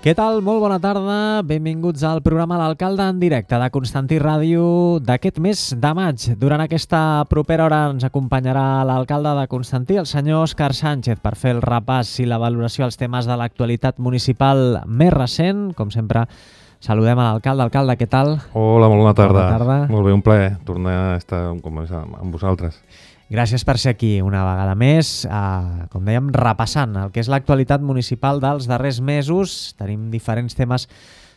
Què tal? Molt bona tarda. Benvinguts al programa L'Alcalde en directe de Constantí Ràdio d'aquest mes de maig. Durant aquesta propera hora ens acompanyarà l'alcalde de Constantí, el senyor Òscar Sánchez, per fer el repàs i la valoració als temes de l'actualitat municipal més recent. Com sempre, saludem a l'alcalde. Alcalde, què tal? Hola, molt bona tarda. Bona tarda. Molt bé, un plaer tornar a estar amb vosaltres. Gràcies per ser aquí una vegada més, com dèiem, repassant el que és l'actualitat municipal dels darrers mesos. Tenim diferents temes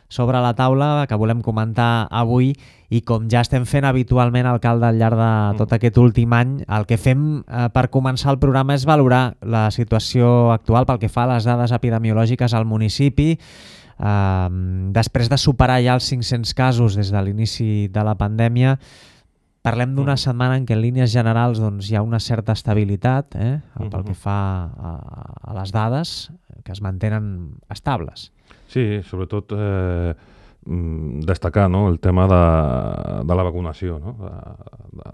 sobre la taula que volem comentar avui i com ja estem fent habitualment, alcalde, al llarg de tot aquest últim any, el que fem per començar el programa és valorar la situació actual pel que fa a les dades epidemiològiques al municipi. Després de superar ja els 500 casos des de l'inici de la pandèmia, parlem d'una setmana en què en línies generals hi ha una certa estabilitat pel que fa a les dades, que es mantenen estables. Sí, sobretot destacar el tema de la vacunació,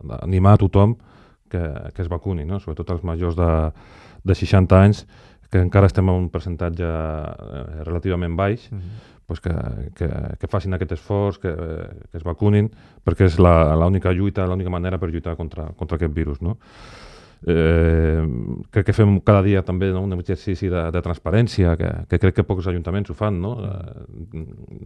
d'animar a tothom que es vacuni, sobretot els majors de 60 anys, que encara estem en un percentatge relativament baix, que facin aquest esforç, que es vacunin, perquè és l'única lluita, l'única manera per lluitar contra aquest virus. Crec que fem cada dia també un exercici de transparència, que crec que pocs ajuntaments ho fan,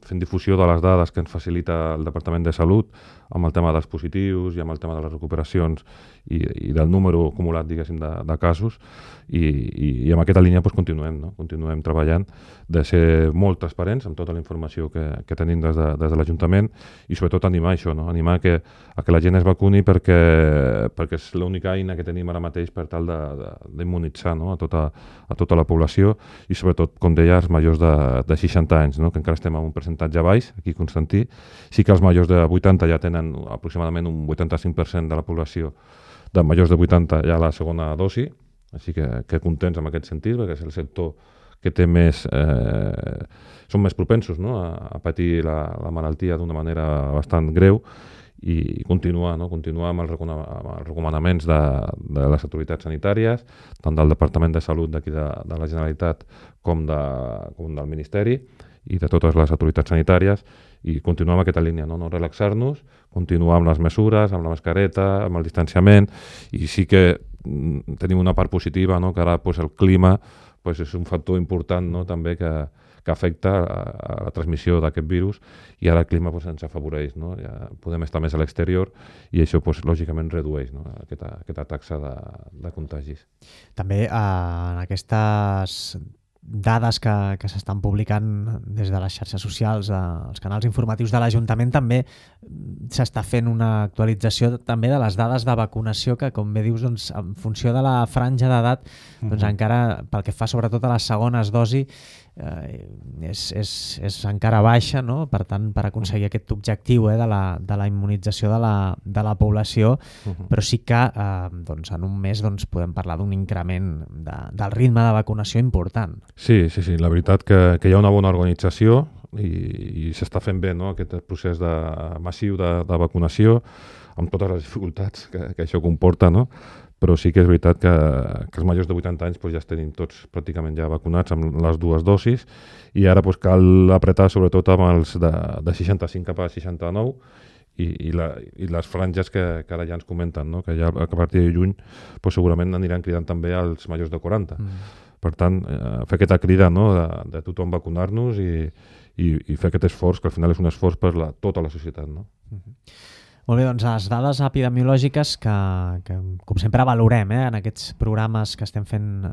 fent difusió de les dades que ens facilita el Departament de Salut, amb el tema dels positius i amb el tema de les recuperacions i del número acumulat, diguéssim, de casos, i en aquesta línia continuem treballant de ser molt transparents amb tota la informació que tenim des de l'Ajuntament i sobretot animar això, animar a que la gent es vacuni perquè és l'única eina que tenim ara mateix per tal d'immunitzar a tota la població i sobretot, com deia, els majors de 60 anys, que encara estem en un percentatge baix aquí a Constantí. Sí que els majors de 80 ja tenen aproximadament un 85% de la població de majors de 80 ja la segona dosi, així que contents en aquest sentit, perquè és el sector que té són més propensos a patir la malaltia d'una manera bastant greu i continuar amb els recomanaments de les autoritats sanitàries, tant del Departament de Salut d'aquí de la Generalitat com del Ministeri i de totes les autoritats sanitàries, i continuar amb aquesta línia, no relaxar-nos, continuar amb les mesures, amb la mascareta, amb el distanciament, i sí que tenim una part positiva, que ara el clima és un factor important també que afecta a la transmissió d'aquest virus, i ara el clima ens afavoreix, ja podem estar més a l'exterior i això lògicament redueix aquesta taxa de contagis. També en aquestes dades que s'estan publicant des de les xarxes socials, els canals informatius de l'Ajuntament, també s'està fent una actualització també de les dades de vacunació que, com bé dius, en funció de la franja d'edat, encara pel que fa sobretot a les segones dosi, és encara baixa, per tant, per aconseguir aquest objectiu de la immunització de la població, però sí que en un mes podem parlar d'un increment del ritme de vacunació important. Sí, la veritat que hi ha una bona organització i s'està fent bé aquest procés massiu de vacunació, amb totes les dificultats que això comporta, però sí que és veritat que els majors de 80 anys ja tenim tots pràcticament ja vacunats amb les dues dosis, i ara cal apretar sobretot amb els de 65 cap a 69 i les franges que ara ja ens comenten, que ja a partir de juny segurament aniran cridant també als majors de 40. Per tant, fer aquesta crida de tothom vacunar-nos i fer aquest esforç, que al final és un esforç per tota la societat. Molt bé, doncs les dades epidemiològiques que com sempre valorem en aquests programes que estem fent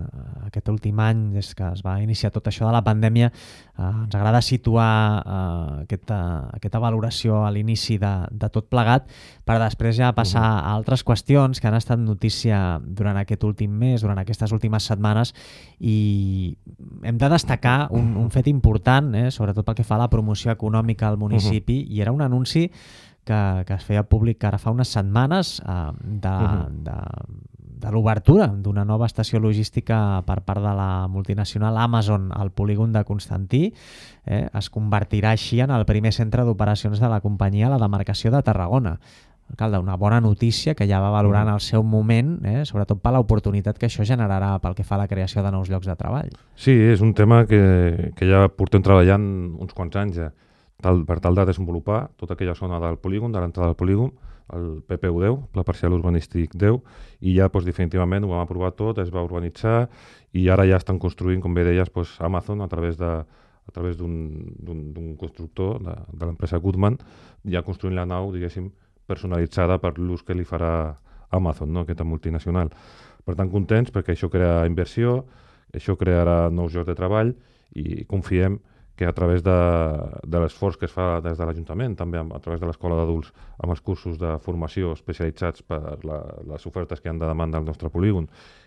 aquest últim any, des que es va iniciar tot això de la pandèmia, ens agrada situar aquesta valoració a l'inici de tot plegat, per després ja passar a altres qüestions que han estat notícia durant aquest últim mes, durant aquestes últimes setmanes, i hem de destacar un fet important, sobretot pel que fa a la promoció econòmica al municipi, i era un anunci que es feia públic ara fa unes setmanes de l'obertura d'una nova estació logística per part de la multinacional Amazon al polígon de Constantí. Es convertirà així en el primer centre d'operacions de la companyia a la demarcació de Tarragona. alcalde, una bona notícia que ja va valorar en el seu moment, sobretot per l'oportunitat que això generarà pel que fa a la creació de nous llocs de treball. Sí, és un tema que ja portem treballant uns quants anys ja, per tal de desenvolupar tota aquella zona del polígon, de l'entrada del polígon, el PPU10, Pla Parcial Urbanístic 10, i ja definitivament ho vam aprovar tot, es va urbanitzar i ara ja estan construint, com bé deies, Amazon a través d'un constructor de l'empresa Goodman, ja construint la nau, diguéssim, personalitzada per l'ús que li farà Amazon, no? Aquesta multinacional. Per tant, contents perquè això crea inversió, això crearà nous llocs de treball i confiem que a través de l'esforç que es fa des de l'Ajuntament, també a través de l'Escola d'Adults, amb els cursos de formació especialitzats per les ofertes que han de demanda al nostre polígon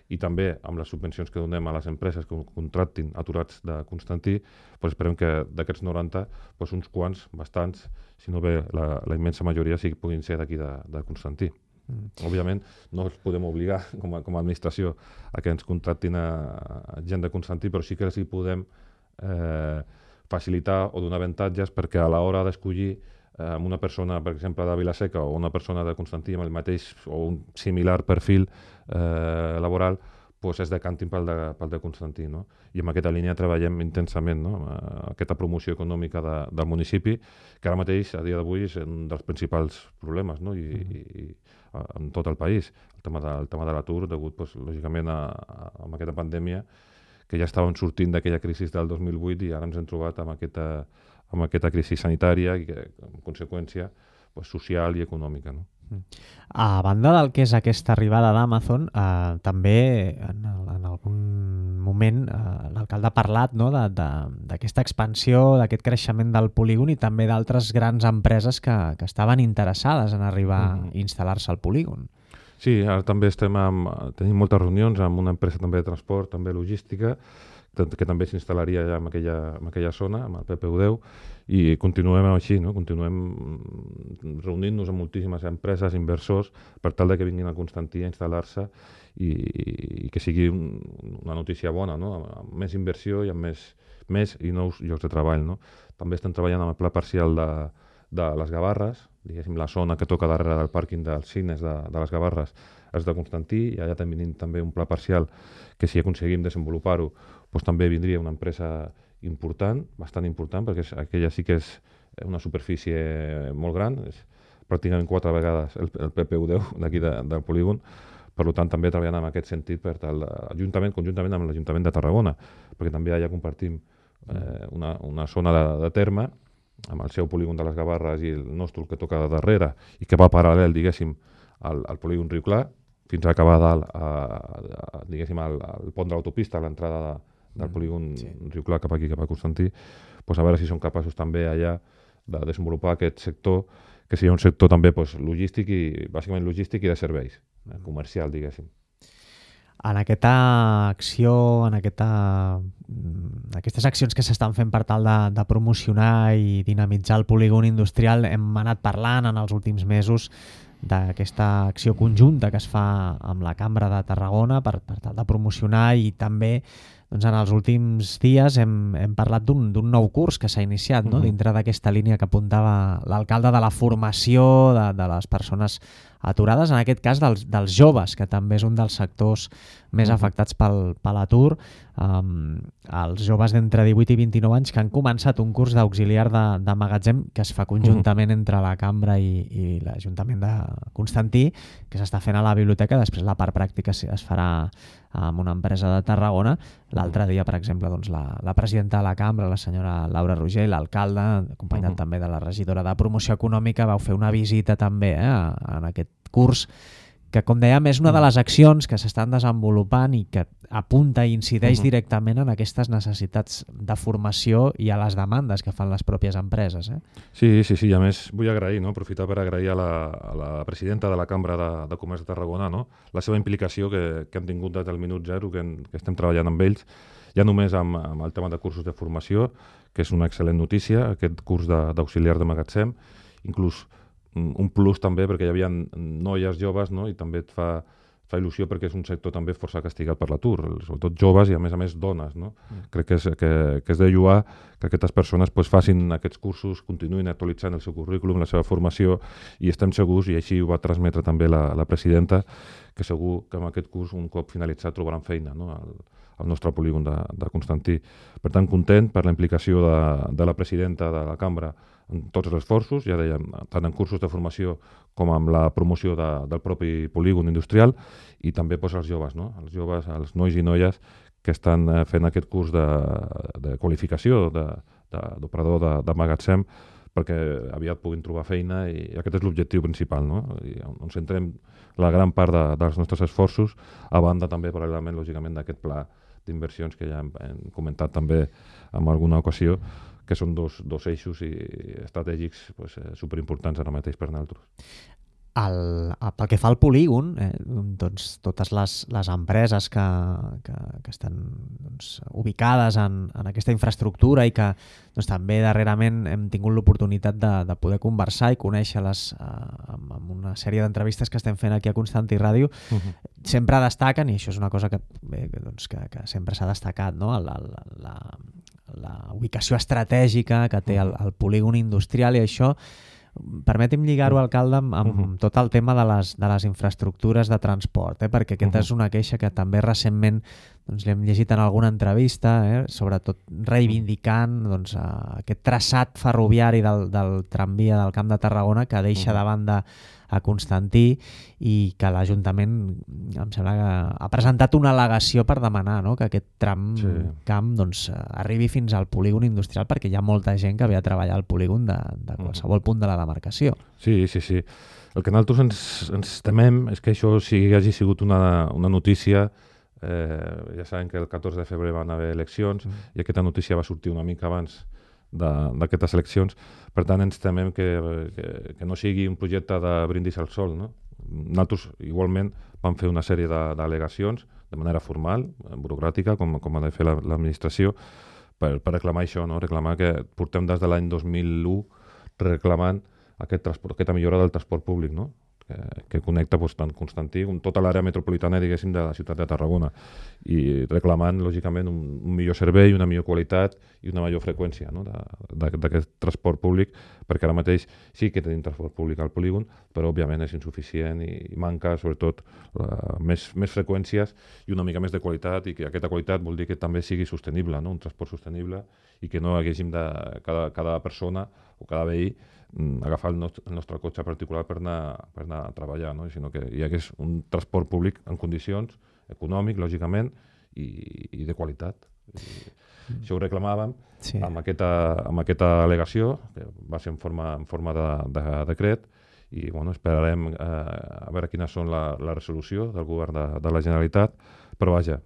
i també amb les subvencions que donem a les empreses que contractin aturats de Constantí, esperem que d'aquests 90, uns quants, bastants, si no bé la immensa majoria, puguin ser d'aquí de Constantí. Òbviament no els podem obligar com a administració a que ens contractin a gent de Constantí, però sí que els hi podem facilitar o donar avantatges perquè a l'hora d'escollir una persona, per exemple, de Vila-seca o una persona de Constantí amb el mateix o un similar perfil laboral, es decantin pel de Constantí. No? I en aquesta línia treballem intensament, no? Aquesta promoció econòmica del municipi, que ara mateix, a dia d'avui, és un dels principals problemes, no? I en tot el país. El tema de l'atur, degut, lògicament, a aquesta pandèmia, que ja estàvem sortint d'aquella crisi del 2008 i ara ens hem trobat amb aquesta crisi sanitària i, en conseqüència, social i econòmica. No? A banda del que és aquesta arribada d'Amazon, també en algun moment l'alcalde ha parlat, no, d'aquesta expansió, d'aquest creixement del polígon i també d'altres grans empreses que estaven interessades en arribar a instal·lar-se al polígon. Sí, ara també tenim moltes reunions amb una empresa també de transport, també logística, que també s'instal·laria ja en aquella zona, amb el PPU10, i continuem així, no? Continuem reunint-nos amb moltíssimes empreses, inversors, per tal que vinguin a Constantí a instal·lar-se i que sigui una notícia bona, no? Amb més inversió i amb més i nous llocs de treball. No? També estem treballant amb el pla parcial de les Gavarres, diguéssim, la zona que toca darrere del pàrquing dels cines de les Gavarres és de Constantí, i allà tenim també un pla parcial que si aconseguim desenvolupar-ho també vindria una empresa important, bastant important, perquè aquella sí que és una superfície molt gran, és pràcticament 4 vegades el PPU10 d'aquí del polígon, per tant també treballant en aquest sentit conjuntament amb l'Ajuntament de Tarragona, perquè també allà compartim una zona de terme amb el seu polígon de les Gavarres i el nostre que toca de darrere i que va paral·lel, diguéssim, al polígon Riu Clar, fins a acabar diguéssim, al pont de l'autopista, a l'entrada del polígon Riu Clar cap aquí, cap a Constantí, a veure si som capaços també allà de desenvolupar aquest sector, que sigui un sector també logístic i bàsicament logístic i de serveis, comercial, diguéssim. En aquesta acció, en aquestes accions que s'estan fent per tal de promocionar i dinamitzar el polígon industrial, hem anat parlant en els últims mesos d'aquesta acció conjunta que es fa amb la Cambra de Tarragona per tal de promocionar, i també en els últims dies hem parlat d'un nou curs que s'ha iniciat dintre d'aquesta línia que apuntava l'alcalde de la formació de les persones aturades, en aquest cas dels joves, que també és un dels sectors més afectats per l'atur, els joves d'entre 18 i 29 anys que han començat un curs d'auxiliar de magatzem que es fa conjuntament entre la Cambra i l'Ajuntament de Constantí, que s'està fent a la biblioteca. Després la part pràctica es farà amb una empresa de Tarragona. L'altre dia, per exemple, la presidenta de la Cambra, la senyora Laura Roger, i l'alcalde, acompanyat també de la regidora de Promoció Econòmica, vau fer una visita també en aquest curs, que, com dèiem, és una de les accions que s'estan desenvolupant i que apunta i incideix directament en aquestes necessitats de formació i a les demandes que fan les pròpies empreses. Sí, i a més vull aprofitar per agrair a la presidenta de la Cambra de Comerç de Tarragona la seva implicació que han tingut des del minut zero que estem treballant amb ells, ja només amb el tema de cursos de formació, que és una excel·lent notícia, aquest curs d'auxiliar de magatzem, inclús un plus també perquè hi havia noies joves, no? I també et fa fa il·lusió perquè és un sector també força castigat per l'atur, sobretot joves i a més dones. No? Crec que és de lloar que aquestes persones facin aquests cursos, continuïn actualitzant el seu currículum, la seva formació, i estem segurs, i així ho va transmetre també la presidenta, que segur que amb aquest curs, un cop finalitzat, trobaran feina, no? al nostre polígon de Constantí. Per tant, content per la implicació de la presidenta de la cambra en tots els esforços, ja dèiem, tant en cursos de formació com amb la promoció del propi polígon industrial, i també els joves, no? Els joves, els nois i noies que estan fent aquest curs de qualificació d'operador de magatzem, perquè aviat puguin trobar feina, i aquest és l'objectiu principal, no? I on centrem la gran part dels nostres esforços, a banda també, paral·lelament, lògicament, d'aquest pla d'inversions que ja hem comentat també en alguna ocasió, que són dos eixos estratègics superimportants ara mateix per nosaltres. Pel que fa al polígon, doncs, totes les empreses que estan ubicades en aquesta infraestructura i que també darrerament hem tingut l'oportunitat de poder conversar i conèixer-les amb una sèrie d'entrevistes que estem fent aquí a Constantí Ràdio, sempre destaquen, i això és una cosa que sempre s'ha destacat, no? La ubicació estratègica que té el polígon industrial, i això permeti'm lligar-ho, alcalde, amb tot el tema de les infraestructures de transport, perquè aquesta és una queixa que també recentment l'hem llegit en alguna entrevista, sobretot reivindicant aquest traçat ferroviari del tramvia del Camp de Tarragona, que deixa de banda a Constantí, i que l'Ajuntament, em sembla que ha presentat una al·legació per demanar, no?, que aquest camp arribi fins al polígon industrial, perquè hi ha molta gent que ve a treballar al polígon de qualsevol punt de la demarcació. Sí. El que nosaltres ens temem és que això hagi sigut una notícia. Ja sabem que el 14 de febrer van haver eleccions, i aquesta notícia va sortir una mica abans d'aquestes eleccions. Per tant, ens temem que no sigui un projecte de brindis al sol, no? Nosaltres igualment vam fer una sèrie d'al·legacions de manera formal, burocràtica, com ha de fer l'administració, per reclamar això, no? Reclamar que portem des de l'any 2001 reclamant aquesta millora del transport públic, no? Que connecta tant Constantí com tota l'àrea metropolitana, diguéssim, de la ciutat de Tarragona, i reclamant, lògicament, un millor servei, una millor qualitat i una major freqüència, no?, d'aquest transport públic, perquè ara mateix sí que tenim transport públic al polígon, però òbviament és insuficient i manca, sobretot, més freqüències i una mica més de qualitat, i que aquesta qualitat vol dir que també sigui sostenible, no?, un transport sostenible, i que no haguéssim de cada persona o cada veí agafar el nostre cotxe particular per anar a treballar, no? Sinó que hi hagués un transport públic en condicions, econòmic, lògicament, i de qualitat. Això ho reclamàvem amb aquesta al·legació, que va ser en forma de decret, i esperarem a veure quines són la resolució del govern de la Generalitat, però vaja,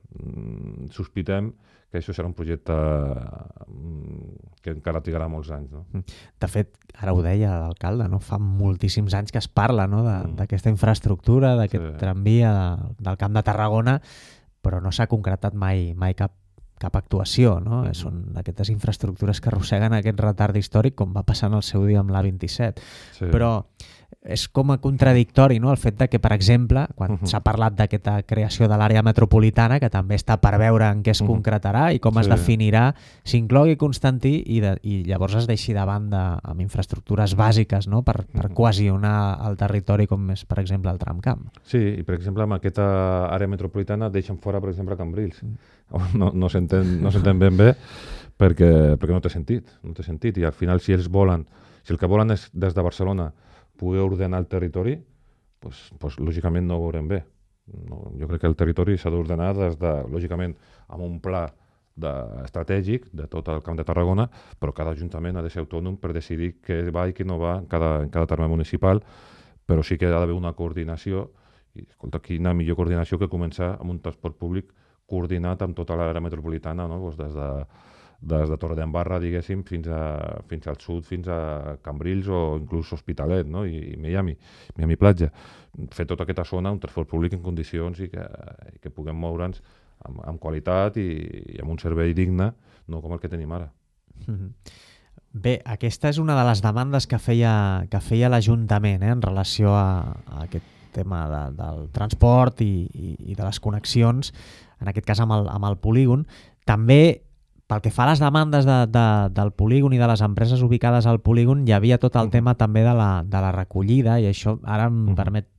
sospitem que això serà un projecte que encara trigarà molts anys. No? De fet, ara ho deia l'alcalde, no? Fa moltíssims anys que es parla, no?, d'aquesta infraestructura, d'aquest tramvia del Camp de Tarragona, però no s'ha concretat mai cap actuació, no? Són aquestes infraestructures que arrosseguen aquest retard històric, com va passar en el seu dia amb l'A27. Però és com a contradictori, no?, el fet de que, per exemple, quan s'ha parlat d'aquesta creació de l'àrea metropolitana, que també està per veure en què es concretarà i com es definirà, s'inclogui Constantí i llavors es deixi de banda amb infraestructures bàsiques, no?, per cohesionar el territori, com és, per exemple, el tramcamp. Sí, i per exemple, amb aquesta àrea metropolitana deixen fora, per exemple, Cambrils. No s'entén ben bé perquè no té sentit, i al final si el que volen és des de Barcelona poder ordenar el territori, doncs lògicament no ho veurem bé. Jo crec que el territori s'ha d'ordenar lògicament, amb un pla estratègic de tot el Camp de Tarragona, però cada ajuntament ha de ser autònom per decidir què va i què no va en cada terme municipal, però sí que ha d'haver una coordinació, i escolta, quina millor coordinació que començar amb un transport públic coordinat amb tota l'àrea metropolitana, no? Des de Torredembarra, diguéssim, fins al sud, fins a Cambrils o inclús Hospitalet, no? I Miami Platja. Fer tota aquesta zona un transport públic en condicions i que puguem moure'ns amb qualitat i amb un servei digne, no com el que tenim ara. Bé, aquesta és una de les demandes que feia l'Ajuntament en relació a aquest tema del transport i de les connexions, en aquest cas amb el polígon. També, pel que fa a les demandes del polígon i de les empreses ubicades al polígon, hi havia tot el tema també de la recollida, i això ara em permet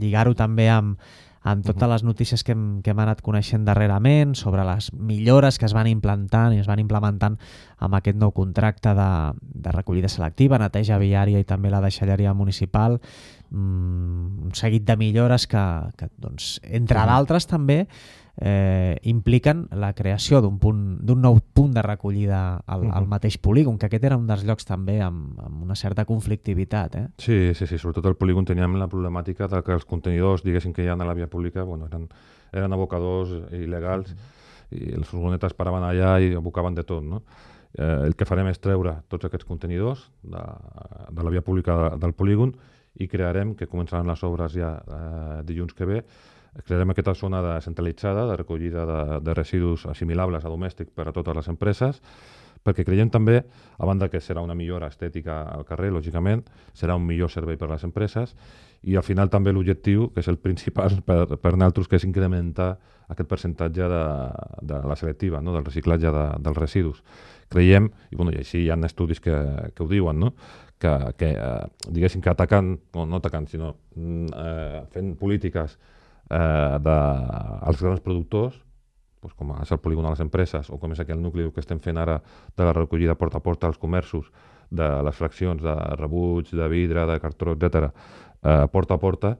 lligar-ho també amb totes les notícies que hem anat coneixent darrerament sobre les millores que es van implantant i es van implementant amb aquest nou contracte de recollida selectiva, neteja viària i també la deixalleria municipal, un seguit de millores que doncs, entre d'altres també impliquen la creació d'un nou punt de recollida al mateix polígon, que aquest era un dels llocs també amb una certa conflictivitat. Sí, sobretot al polígon teníem la problemàtica de que els contenidors, diguéssim, que hi ha a la via pública, eren abocadors il·legals i les furgonetes paraven allà i abocaven de tot, no? El que farem és treure tots aquests contenidors de la via pública del polígon i crearem, que començaran les obres ja dilluns que ve, crearem aquesta zona centralitzada de recollida de residus assimilables a domèstic per a totes les empreses, perquè creiem també, a banda que serà una millora estètica al carrer, lògicament, serà un millor servei per a les empreses, i al final també l'objectiu, que és el principal per nosaltres, que és incrementar aquest percentatge de la selectiva, no? Del reciclatge dels residus. Creiem, i així hi ha estudis que ho diuen, no? que diguéssim que atacant, no atacant, sinó fent polítiques als grans productors, com és el polígon de les empreses o com és aquell nucli que estem fent ara de la recollida porta a porta als comerços, de les fraccions de rebuig, de vidre, de cartró, etc., porta a porta,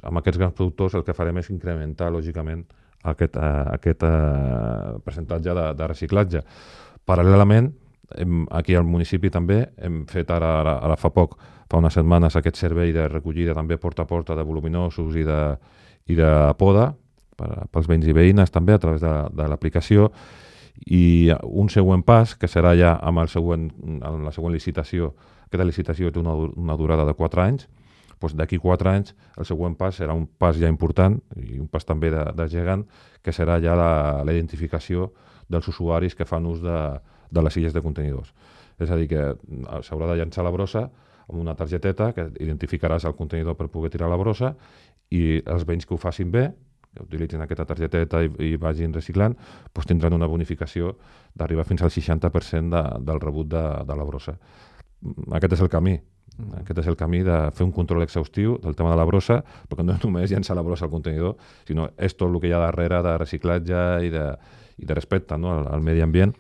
amb aquests grans productors el que farem és incrementar, lògicament, aquest percentatge de reciclatge. Paral·lelament, aquí al municipi també hem fet ara fa unes setmanes, aquest servei de recollida també porta a porta de voluminosos i de poda pels veïns i veïnes també a través de l'aplicació, i un següent pas que serà ja amb la següent licitació. Aquesta licitació té una durada de 4 anys, d'aquí 4 anys el següent pas serà un pas ja important i un pas també de gegant, que serà ja la identificació dels usuaris que fan ús de les illes de contenidors. És a dir, que s'haurà de llançar la brossa amb una targeteta que identificaràs el contenidor per poder tirar la brossa, i els veïns que ho facin bé, que utilitzin aquesta targeteta i vagin reciclant, tindran una bonificació d'arribar fins al 60% del rebut de la brossa. Aquest és el camí. Aquest és el camí de fer un control exhaustiu del tema de la brossa, perquè no és només llançar la brossa al contenidor, sinó és tot el que hi ha darrere de reciclatge i de respecte, no, al medi ambient,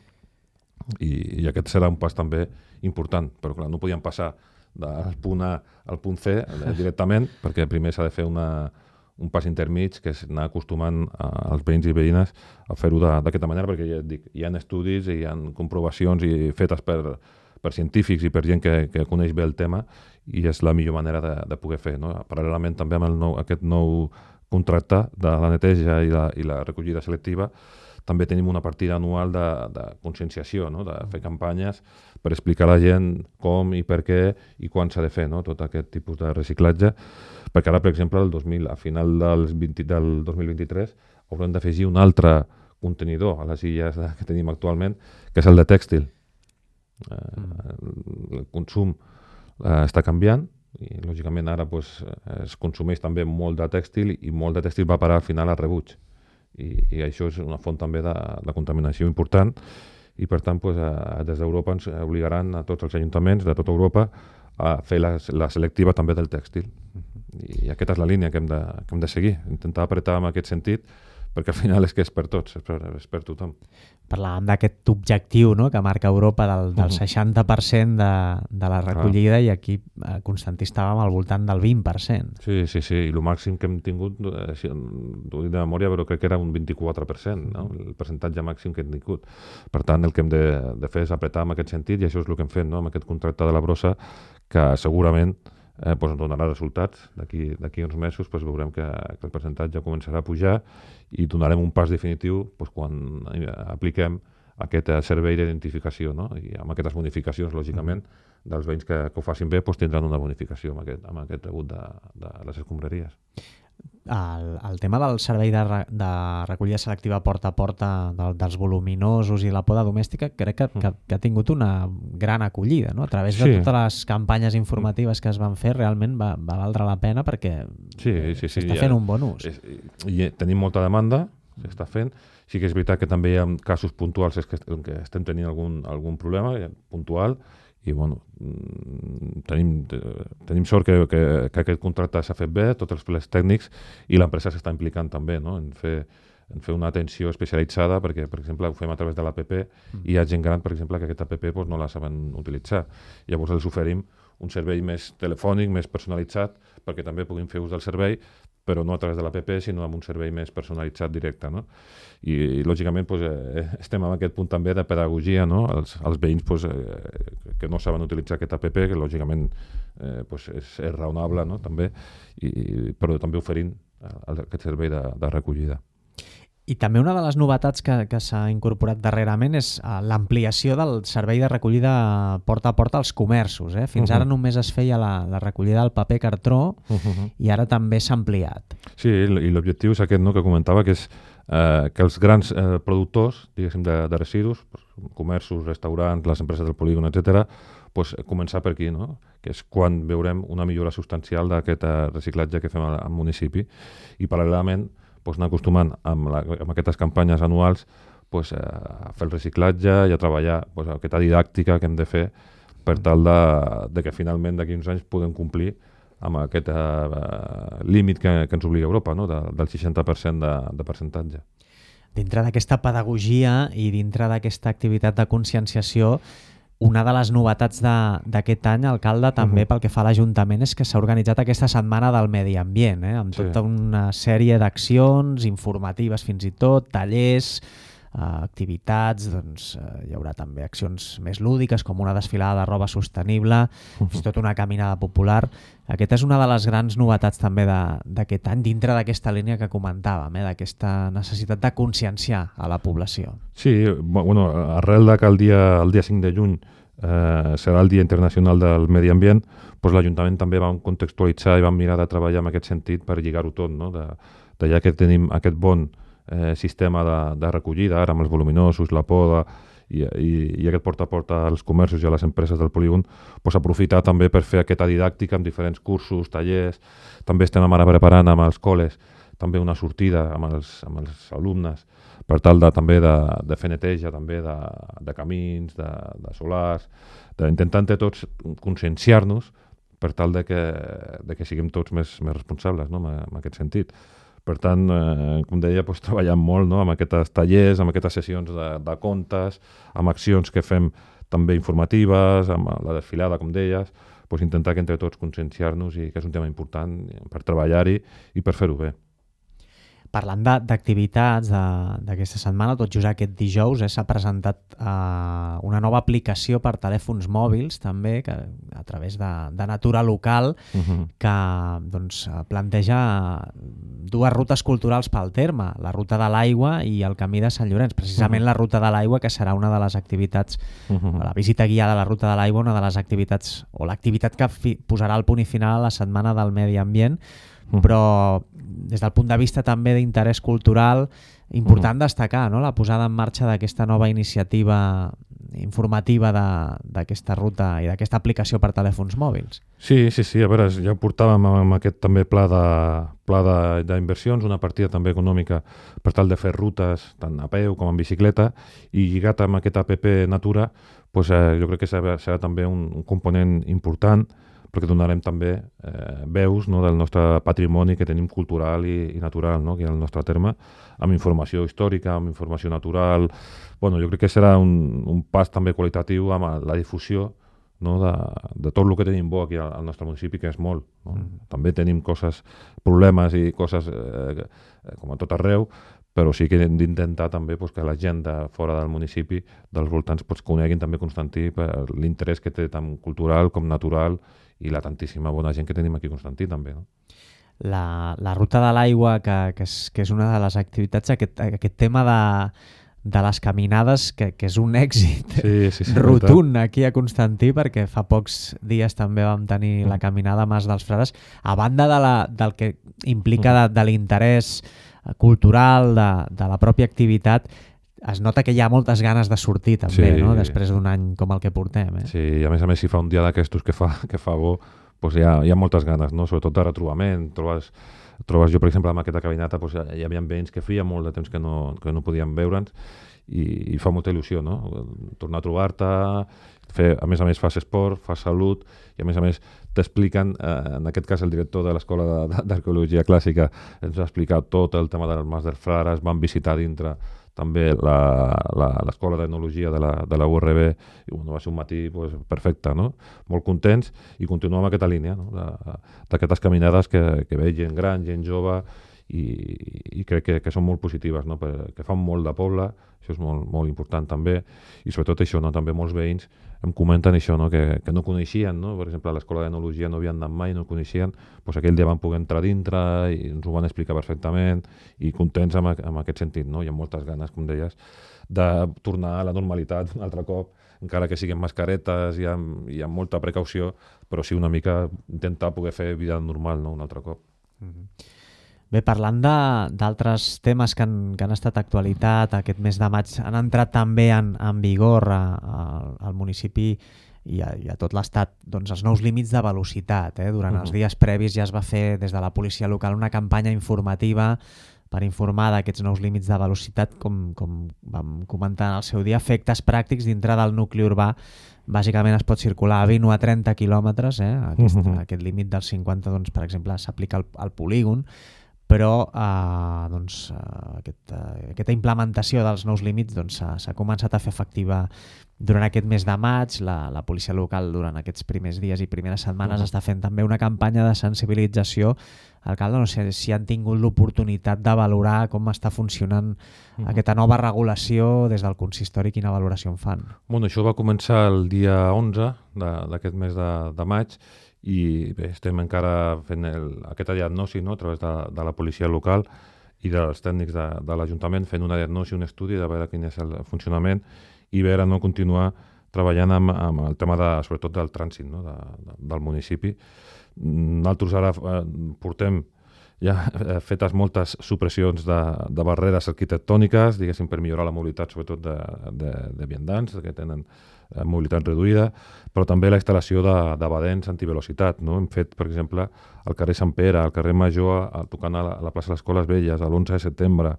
i aquest serà un pas també important, però clar, no podíem passar del punt A al punt C directament, perquè primer s'ha de fer un pas intermig, que és anar acostumant als veïns i veïnes a fer-ho d'aquesta manera, perquè ja et dic, hi ha estudis i hi ha comprovacions fetes per científics i per gent que coneix bé el tema, i és la millor manera de poder fer, no? Paral·lelament també amb aquest nou contracte de la neteja i la recollida selectiva, també tenim una partida anual de conscienciació, no? De fer campanyes per explicar a la gent com i per què i quan s'ha de fer, no? Tot aquest tipus de reciclatge, perquè ara, per exemple, a final del 2023 haurem d'afegir un altre contenidor a les illes que tenim actualment, que és el de tèxtil. El consum està canviant i, lògicament, ara es consumeix també molt de tèxtil, i molt de tèxtil va parar al final al rebuig. I això és una font també de contaminació important, i per tant des d'Europa ens obligaran a tots els ajuntaments de tota Europa a fer la selectiva també del tèxtil, i aquesta és la línia que hem de seguir, intentar apretar en aquest sentit, perquè al final és que és per tots, és per tothom. Parlàvem d'aquest objectiu, no?, que marca Europa del 60% de la recollida, i aquí Constantí estàvem al voltant del 20%. Sí, i el màxim que hem tingut, ho dic de memòria, però crec que era un 24%, no? El percentatge màxim que hem tingut. Per tant, el que hem de fer és apretar en aquest sentit, i això és el que hem fet, no?, amb aquest contracte de la brossa, que segurament ens donarà resultats. D'aquí uns mesos veurem que el percentatge començarà a pujar, i donarem un pas definitiu quan apliquem aquest servei d'identificació, no? I amb aquestes bonificacions, lògicament, dels veïns que ho facin bé tindran una bonificació amb aquest rebut de les escombraries. El tema del servei de recollida selectiva porta a porta dels voluminosos i la poda domèstica crec que ha tingut una gran acollida, no? A través de totes les campanyes informatives que es van fer realment va valdre la pena perquè s'està fent un bon ús. I tenim molta demanda, s'està fent. Sí que és veritat que també hi ha casos puntuals que estem tenint algun problema puntual i bueno, tenim sort que aquest contracte s'ha fet bé, tots els plans tècnics, i l'empresa s'està implicant també, no? en fer una atenció especialitzada perquè, per exemple, ho fem a través de l'APP i hi ha gent gran, per exemple, que aquesta APP no la saben utilitzar. Llavors els oferim un servei més telefònic, més personalitzat, perquè també puguin fer ús del servei, però no a través de l'APP, sinó amb un servei més personalitzat directe. No? I lògicament, estem en aquest punt també de pedagogia, no? Els veïns que no saben utilitzar aquest APP, que lògicament és raonable, no? També, però també oferint aquest servei de recollida. I també una de les novetats que s'ha incorporat darrerament és l'ampliació del servei de recollida porta a porta als comerços. Fins ara només es feia la recollida del paper cartró i ara també s'ha ampliat. Sí, i l'objectiu és aquest, no, que comentava, que és que els grans productors, diguéssim, de residus, comerços, restaurants, les empreses del polígon, etc., començar per aquí, no? Que és quan veurem una millora substancial d'aquest reciclatge que fem al municipi. I paral·lelament anar acostumant amb aquestes campanyes anuals a fer el reciclatge i a treballar aquesta didàctica que hem de fer per tal de que finalment d'aquí uns anys podem complir amb aquest límit que ens obliga Europa, no? Del 60% de percentatge. Dintre d'aquesta pedagogia i dintre d'aquesta activitat de conscienciació, una de les novetats d'aquest any, alcalde, també pel que fa a l'Ajuntament, és que s'ha organitzat aquesta setmana del medi ambient, amb tota una sèrie d'accions informatives fins i tot, tallers, activitats, hi haurà també accions més lúdiques com una desfilada de roba sostenible, fins i tot una caminada popular. Aquesta és una de les grans novetats també d'aquest any, dintre d'aquesta línia que comentàvem, d'aquesta necessitat de conscienciar a la població. Sí, arrel que el dia 5 de juny serà el Dia Internacional del Medi Ambient, l'Ajuntament també vam contextualitzar i vam mirar de treballar en aquest sentit per lligar-ho tot, no? Ja que tenim aquest bon sistema de recollida, ara amb els voluminosos, la poda i aquest porta a porta als comerços i a les empreses del polígon, aprofitar també per fer aquesta didàctica amb diferents cursos, tallers. També estem ara preparant amb els col·les també una sortida amb els alumnes per tal també de fer neteja també de camins, de solars, d'intentar entre tots conscienciar-nos per tal de que siguem tots més responsables, no? En aquest sentit. Per tant, com deia, treballem molt, no? Amb aquests tallers, amb aquestes sessions de contes, amb accions que fem també informatives, amb la desfilada, com deies, intentar que entre tots conscienciar-nos i que és un tema important per treballar-hi i per fer-ho bé. Parlant d'activitats d'aquesta setmana, tot just aquest dijous s'ha presentat una nova aplicació per telèfons mòbils també, a través de Natura Local, que planteja dues rutes culturals pel terme, la Ruta de l'Aigua i el Camí de Sant Llorenç. Precisament la Ruta de l'Aigua, que serà una de les activitats, la visita guiada a la Ruta de l'Aigua, una de les activitats, o l'activitat que posarà el punt i final a la Setmana del Medi Ambient, però des del punt de vista també d'interès cultural, important destacar, no?, la posada en marxa d'aquesta nova iniciativa informativa d'aquesta ruta i d'aquesta aplicació per telèfons mòbils. Sí, a veure, ja portàvem amb aquest també pla d'inversions, una partida també econòmica per tal de fer rutes tant a peu com en bicicleta, i lligat amb aquest APP Natura, jo crec que serà també un component important, perquè donarem també veus, no, del nostre patrimoni que tenim cultural i natural, no, aquí al nostre terme, amb informació històrica, amb informació natural. Jo crec que serà un pas també qualitatiu amb la difusió, no, de tot el que tenim bo aquí al nostre municipi, que és molt. No? També tenim problemes i coses com a tot arreu, però sí que hem d'intentar també que la gent de fora del municipi, dels voltants, coneguin també Constantí per l'interès que té tant cultural com natural i la tantíssima bona gent que tenim aquí a Constantí també. No? La Ruta de l'Aigua, que és una de les activitats, aquest tema de les caminades, que és un èxit sí, rotund aquí a Constantí, perquè fa pocs dies també vam tenir la caminada Mas dels Frares, a banda del que implica de l'interès cultural, de la pròpia activitat. Es nota que hi ha moltes ganes de sortir també, no? Després d'un any com el que portem. Sí, i a més, si fa un dia d'aquestos que fa bo, doncs hi ha moltes ganes, no? Sobretot de retrobament. Trobes jo, per exemple, amb aquesta caminata, doncs hi havia veïns que feia molt de temps que no podíem veure'ns i fa molta il·lusió, no? Tornar a trobar-te, a més fas esport, fas salut i a més t'expliquen, en aquest cas el director de l'Escola d'Arqueologia Clàssica ens ha explicat tot el tema del Mas dels Frares, van visitar dintre també l'Escola d'Etnologia de la URB, i va ser un matí perfecte, no? Molt contents, i continuem amb aquesta línia, no? D'aquestes caminades que ve gent gran, gent jove, i crec que són molt positives, no? Que fan molt de poble, això és molt, molt important també, i sobretot això, no? També molts veïns em comenten això, no? Que no coneixien, no? Per exemple, a l'Escola d'Etnologia no havien anat mai, no coneixien, doncs aquell dia van poder entrar dintre i ens ho van explicar perfectament, i contents amb aquest sentit, no? Hi ha moltes ganes, com deies, de tornar a la normalitat un altre cop, encara que siguin mascaretes i amb molta precaució, però sí una mica intentar poder fer vida normal, no? Un altre cop. Bé, parlant d'altres temes que han estat actualitat, aquest mes de maig han entrat també en vigor al municipi i a tot l'estat els nous límits de velocitat. Durant els dies previs ja es va fer des de la policia local una campanya informativa per informar d'aquests nous límits de velocitat, com vam comentar en el seu dia, efectes pràctics dintre del nucli urbà. Bàsicament es pot circular a 20 o a 30 quilòmetres, aquest límit dels 50, per exemple, s'aplica al polígon, però aquesta implementació dels nous límits s'ha començat a fer efectiva durant aquest mes de maig. La policia local durant aquests primers dies i primeres setmanes està fent també una campanya de sensibilització. Alcalde, no sé si han tingut l'oportunitat de valorar com està funcionant aquesta nova regulació des del consistori, quina valoració en fan? Bueno, això va començar el dia 11 d'aquest mes de maig, i bé, estem encara fent aquesta diagnosi, no? A través de la policia local i dels tècnics de l'Ajuntament, fent una diagnosi, un estudi de veure quin és el funcionament i veure, no, continuar treballant amb el tema sobretot del trànsit, no? Del municipi. Nosaltres ara portem ja fetes moltes supressions de barreres arquitectòniques, diguéssim, per millorar la mobilitat, sobretot de viandants, que tenen mobilitat reduïda, però també la instal·lació de badents antivelocitat, no? Hem fet, per exemple, al carrer Sant Pere, al carrer Major, tocant a la plaça de les Escoles Velles, a l'11 de setembre,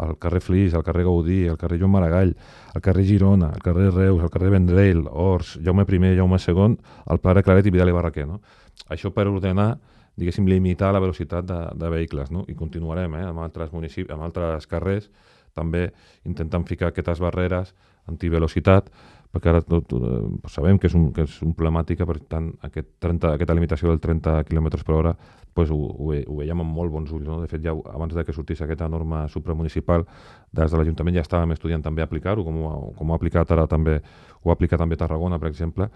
al carrer Flix, al carrer Gaudí, al carrer Joan Maragall, al carrer Girona, al carrer Reus, al carrer Vendrell, Ors, Jaume I, Jaume II, al Pla de Claret i Vidal i Barraquer, no? Això per ordenar, diguéssim, limitar la velocitat de vehicles, no? I continuarem amb altres municipis, amb altres carrers, també intentant ficar aquestes barreres antivelocitat, perquè ara sabem que és una problemàtica, per tant, aquesta limitació del 30 km per hora ho veiem amb molt bons ulls, no? De fet, ja abans que sortís aquesta norma supramunicipal, des de l'Ajuntament ja estàvem estudiant també aplicar-ho, com ho ha aplicat ara també, ho ha aplicat també Tarragona, per exemple,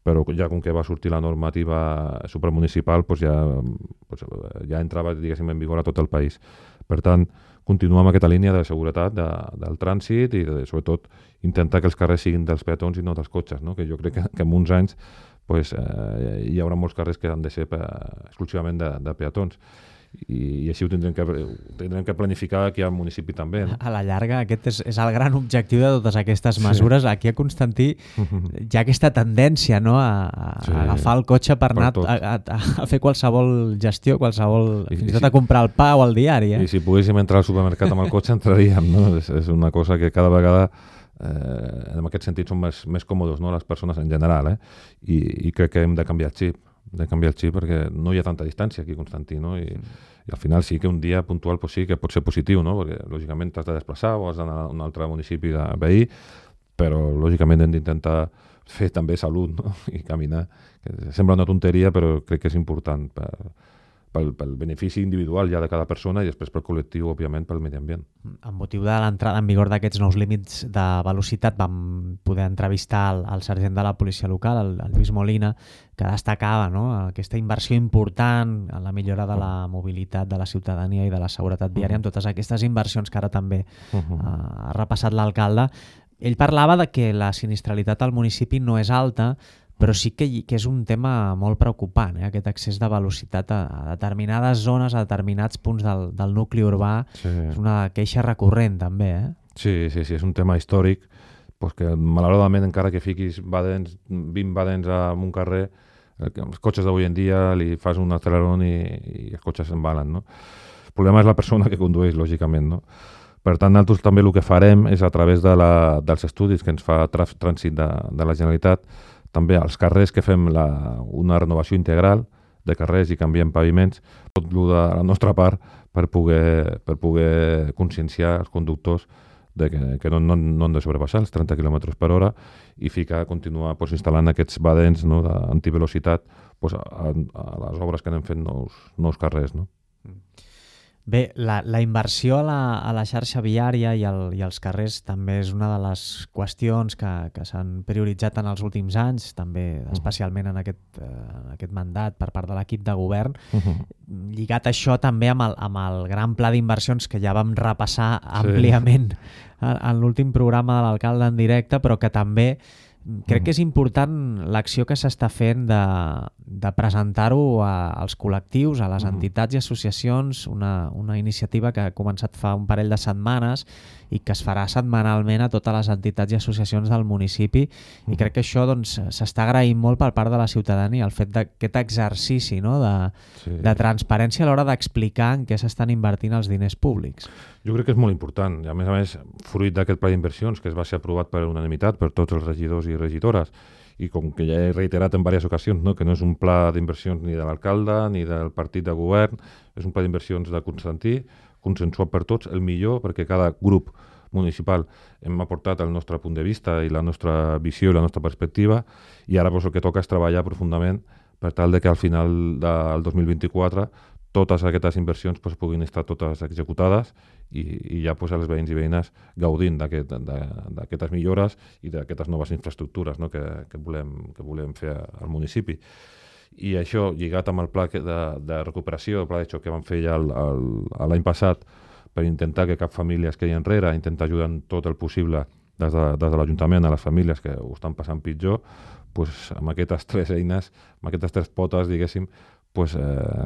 però ja com que va sortir la normativa supramunicipal ja entrava, diguéssim, en vigor a tot el país. Per tant, continuar amb aquesta línia de seguretat del trànsit i sobretot intentar que els carrers siguin dels peatons i no dels cotxes, no? Que jo crec que en uns anys hi haurà molts carrers que han de ser exclusivament de peatons. I així ho tindrem que planificar aquí al municipi també, no? A la llarga aquest és el gran objectiu de totes aquestes mesures. Sí. Aquí a Constantí hi ha aquesta tendència, no? a agafar el cotxe per anar a fer qualsevol gestió, fins i tot a comprar el pa o el diari. I si poguéssim entrar al supermercat amb el cotxe entraríem, no? És una cosa que cada vegada en aquest sentit són més còmodes, no? Les persones en general, i crec que hem de canviar el xip perquè no hi ha tanta distància aquí a Constantí, no? I al final sí que un dia puntual sí que pot ser positiu, no? Perquè lògicament t'has de desplaçar o has d'anar a un altre municipi de veí, però lògicament hem d'intentar fer també salut, no? I caminar, que sembla una tonteria però crec que és important pel benefici individual ja de cada persona i després pel col·lectiu, òbviament, pel medi ambient. Amb motiu de l'entrada en vigor d'aquests nous límits de velocitat vam poder entrevistar el sergent de la policia local, el Lluís Molina, que destacava, no?, aquesta inversió important en la millora de la mobilitat de la ciutadania i de la seguretat viària, amb totes aquestes inversions que ara també ha repassat l'alcalde. Ell parlava de que la sinistralitat al municipi no és alta, però sí que és un tema molt preocupant, aquest excés de velocitat a determinades zones, a determinats punts del nucli urbà. Sí. És una queixa recurrent, també. Sí, és un tema històric, que malauradament encara que fiquis 20 badens en un carrer, els cotxes d'avui en dia li fas un acceleron i els cotxes se'n van, no? El problema és la persona que condueix, lògicament, no? Per tant, nosaltres també el que farem és a través dels estudis que ens fa Trànsit de la Generalitat, també als carrers que fem una renovació integral de carrers i canviem paviments, tot el de la nostra part per poder conscienciar els conductors de que no han de sobrepassar els 30 km per hora i continuar instal·lant aquests badens, no, d'antivelocitat a les obres que anem fent nous carrers. No? Bé, la inversió a la xarxa viària i als carrers també és una de les qüestions que s'han prioritzat en els últims anys, també especialment en aquest mandat per part de l'equip de govern. Lligat això també amb el gran pla d'inversions que ja vam repassar àmpliament en l'últim programa de l'alcalde en directe, però que també crec que és important l'acció que s'està fent de presentar-ho als col·lectius, a les entitats i associacions, una iniciativa que ha començat fa un parell de setmanes i que es farà setmanalment a totes les entitats i associacions del municipi, i crec que això s'està agraint molt per part de la ciutadania, el fet d'aquest exercici, no, de transparència a l'hora d'explicar en què s'estan invertint els diners públics. Jo crec que és molt important, i a més, fruit d'aquest pla d'inversions que es va ser aprovat per unanimitat per tots els regidors i regidores, i com que ja he reiterat en diverses ocasions, no, que no és un pla d'inversions ni de l'alcalde ni del partit de govern, és un pla d'inversions de Constantí, consensuat per tots, el millor, perquè cada grup municipal hem aportat el nostre punt de vista i la nostra visió i la nostra perspectiva, i ara el que toca és treballar profundament per tal que al final del 2024 totes aquestes inversions puguin estar totes executades i ja els veïns i veïnes gaudint d'aquestes millores i d'aquestes noves infraestructures, no, que volem fer al municipi. I això, lligat amb el pla de recuperació, el pla de xoc que vam fer ja l'any passat per intentar que cap família es quedi enrere, intentar ajudar en tot el possible des de l'Ajuntament a les famílies que ho estan passant pitjor, amb aquestes tres eines, amb aquestes tres potes, diguéssim,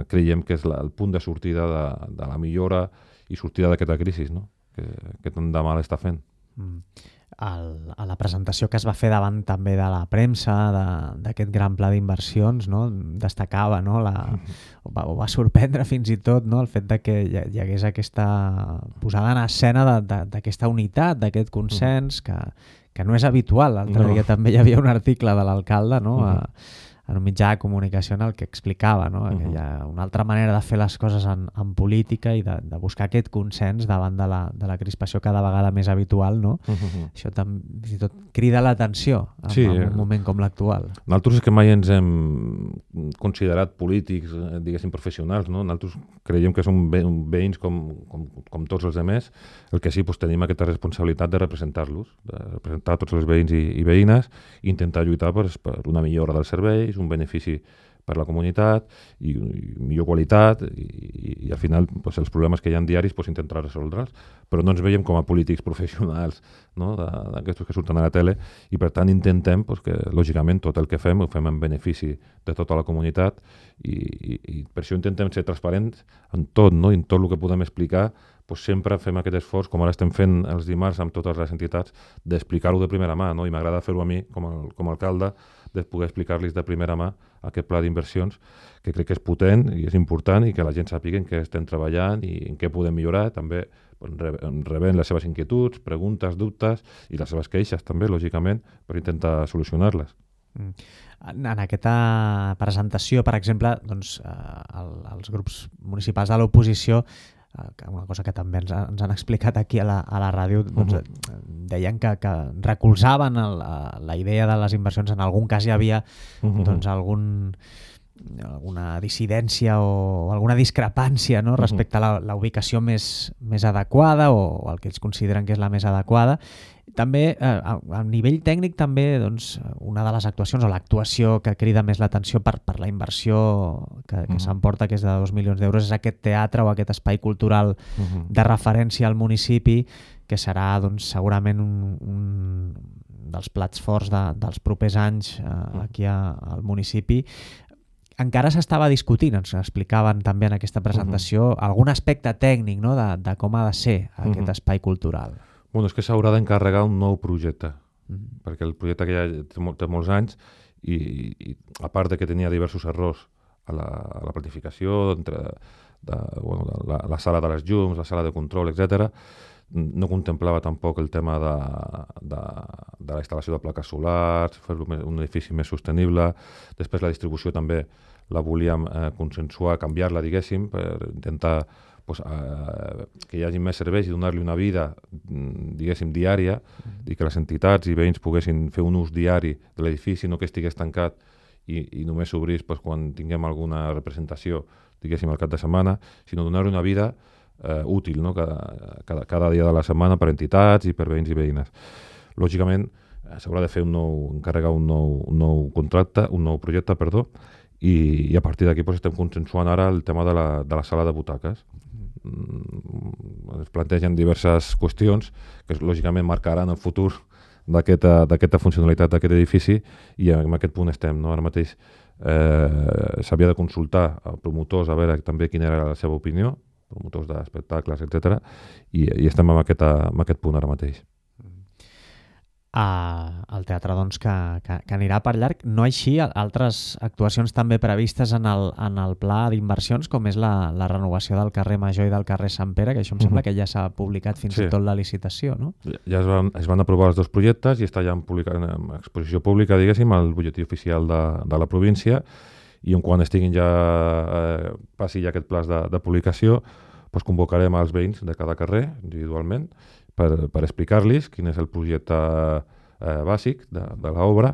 creiem que és el punt de sortida de la millora i sortida d'aquesta crisi, no? que tant de mal està fent. A la presentació que es va fer davant també de la premsa d'aquest gran pla d'inversions, no, destacava, no, o va sorprendre fins i tot, no, el fet de que hi hagués aquesta posada en escena d'aquesta unitat, d'aquest consens que no és habitual. L'altre dia també hi havia un article de l'alcalde, no, en un mitjà de comunicació en el que explicava, no, que hi ha una altra manera de fer les coses en política i de buscar aquest consens davant de la crispació cada vegada més habitual, no? Això fins i tot crida l'atenció en un moment com l'actual. Nosaltres és que mai ens hem considerat polítics, diguéssim, professionals, no? Nosaltres creiem que som veïns com tots els altres, el que sí, tenim aquesta responsabilitat de representar-los, de representar tots els veïns i veïnes, i intentar lluitar per una millora dels serveis, un benefici per la comunitat i millor qualitat i al final els problemes que hi ha diaris intentar resoldre'ls, però no ens veiem com a polítics professionals, no? d'aquests que surten a la tele, i per tant intentem que lògicament tot el que fem ho fem en benefici de tota la comunitat i per això intentem ser transparents en tot, no? I en tot el que podem explicar sempre fem aquest esforç, com ara estem fent els dimarts amb totes les entitats, d'explicar-ho de primera mà, no? I m'agrada fer-ho a mi com a alcalde, de poder explicar-los de primera mà aquest pla d'inversions, que crec que és potent i és important i que la gent sàpiga en què estem treballant i en què podem millorar, també rebent les seves inquietuds, preguntes, dubtes i les seves queixes també, lògicament, per intentar solucionar-les. En aquesta presentació, per exemple, els grups municipals de l'oposició, una cosa que també ens han explicat aquí a la ràdio, deien que recolzaven la idea de les inversions. En algun cas hi havia algun alguna dissidència o alguna discrepància, no? Respecte a la ubicació més adequada o el que ells consideren que és la més adequada. També, a nivell tècnic, també doncs, una de les actuacions o l'actuació que crida més l'atenció per la inversió que s'emporta, que és de 2 milions d'euros, és aquest teatre o aquest espai cultural de referència al municipi, que serà doncs, segurament un dels plats forts dels propers anys aquí al municipi. Encara s'estava discutint, ens explicaven també en aquesta presentació, algun aspecte tècnic, no? de com ha de ser aquest espai cultural. Bueno, és que s'haurà d'encarregar un nou projecte, perquè el projecte que ja té molts anys i a part de que tenia diversos errors a la planificació, la sala de les llums, la sala de control, etc., no contemplava tampoc el tema de la instal·lació de plaques solars, fer-lo un edifici més sostenible. Després la distribució també la volíem consensuar, canviar-la, diguéssim, per intentar que hi hagi més serveis i donar-li una vida, diguéssim, diària, i que les entitats i veïns poguessin fer un ús diari de l'edifici, no que estigués tancat i només s'obrís quan tinguem alguna representació, diguéssim, al cap de setmana, sinó donar-li una vida útil, no? cada dia de la setmana per entitats i per veïns i veïnes. Lògicament, s'haurà de fer encarregar un nou contracte, un nou projecte, i a partir d'aquí estem consensuant ara el tema de la sala de butaques. Es plantegen diverses qüestions que lògicament marcaran el futur d'aquesta funcionalitat d'aquest edifici i en aquest punt estem. No? Ara mateix s'havia de consultar a promotors a veure també quina era la seva opinió, promotors d'espectacles, etc. I estem en aquest punt ara mateix. El teatre doncs, que anirà per llarg, no així altres actuacions també previstes en el pla d'inversions, com és la renovació del carrer Major i del carrer Sant Pere, que això em sembla que ja s'ha publicat fins i tot la licitació, no? Ja es van aprovar els dos projectes i està ja en exposició pública, diguéssim, al butlletí oficial de la província, i quan estiguin passi ja aquest pla de publicació, convocarem els veïns de cada carrer individualment per explicar-los quin és el projecte bàsic de l'obra,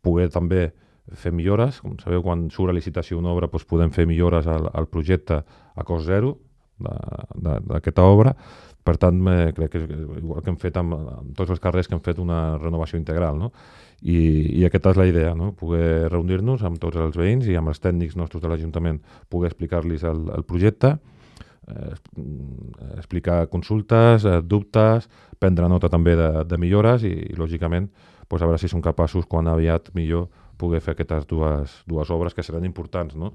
poder també fer millores. Com sabeu, quan surt a licitació una obra podem fer millores al projecte a cost zero d'aquesta obra. Per tant, crec que igual que hem fet amb tots els carrers, que hem fet una renovació integral, no? I aquesta és la idea, no? Poder reunir-nos amb tots els veïns i amb els tècnics nostres de l'Ajuntament, poder explicar-los el projecte, explicar consultes, dubtes, prendre nota també de millores i lògicament, a veure si som capaços, quan aviat millor, poder fer aquestes dues obres que seran importants, no?